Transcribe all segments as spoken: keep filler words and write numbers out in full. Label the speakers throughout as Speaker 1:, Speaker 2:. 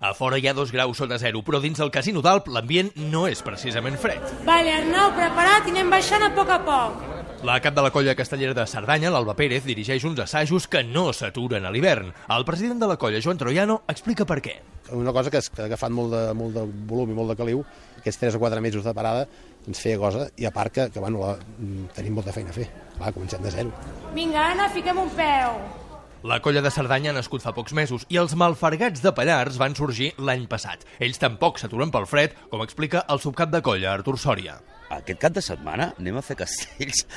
Speaker 1: A fora hi ha dos graus sota zero, però dins del Casino d'Alp l'ambient no és precisament fred.
Speaker 2: Vale, Arnau, preparat i anem baixant a poc a poc.
Speaker 1: La cap de la colla castellera de Cerdanya, l'Alba Pérez, dirigeix uns assajos que no s'aturen a l'hivern. El president de la colla, Joan Troiano, explica per què.
Speaker 3: Una cosa que ha agafat molt de, molt de volum i molt de caliu, aquests tres o quatre mesos de parada ens feia cosa, i a part que, que bueno, la, tenim molta feina a fer. Clar, comencem de zero.
Speaker 2: Vinga, Anna, fiquem un peu.
Speaker 1: La colla de Cerdanya ha nascut fa pocs mesos i els malfargats de Pallars van sorgir l'any passat. Ells tampoc s'aturen pel fred, com explica el subcap de colla, Artur Sòria.
Speaker 4: Aquest cap de setmana anem a fer castells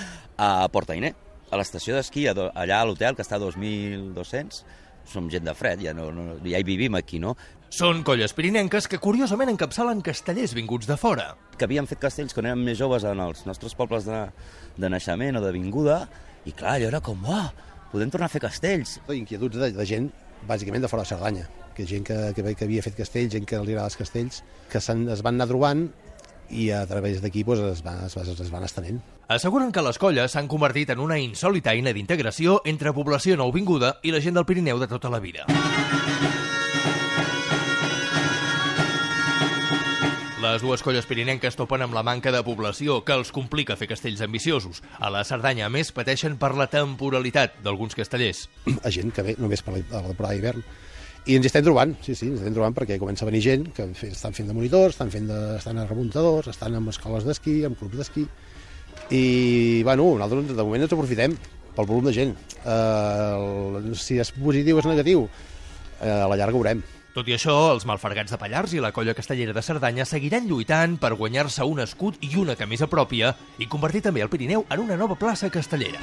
Speaker 4: a Portainer, a l'estació d'esquí, allà a l'hotel, que està a dos mil dos-cents. Som gent de fred, ja, no, no, ja hi vivim aquí, no?
Speaker 1: Són colles pirinenques que curiosament encapçalen castellers vinguts de fora.
Speaker 4: Que havíem fet castells quan érem més joves en els nostres pobles de, de naixement o de vinguda, i clar, allò era com, uah, podem tornar a fer castells.
Speaker 3: Inquietuds de, de gent, bàsicament de fora de Cerdanya, que gent que, que, que havia fet castells, gent que li agrada els castells, que es van anar trobant i a través d'aquí doncs, es, van, es, es van estenent.
Speaker 1: Asseguren que les colles s'han convertit en una insòlita eina d'integració entre població nouvinguda i la gent del Pirineu de tota la vida. Les dues colles pirinenques topen amb la manca de població que els complica fer castells ambiciosos. A la Cerdanya, a més, pateixen per la temporalitat d'alguns castellers.
Speaker 3: A gent que ve només per la temporada d'hivern. I ens hi estem trobant, sí, sí, ens estem trobant perquè comença a venir gent que estan fent de monitors, estan, fent de, estan a remuntadors, estan en escoles d'esquí, en clubs d'esquí. I, bueno, nosaltres de moment ens aprofitem pel volum de gent. Uh, si és positiu o és negatiu, uh, a la llarga veurem.
Speaker 1: Tot i això, els malfargats de Pallars i la colla castellera de Cerdanya seguiran lluitant per guanyar-se un escut i una camisa pròpia i convertir també el Pirineu en una nova plaça castellera.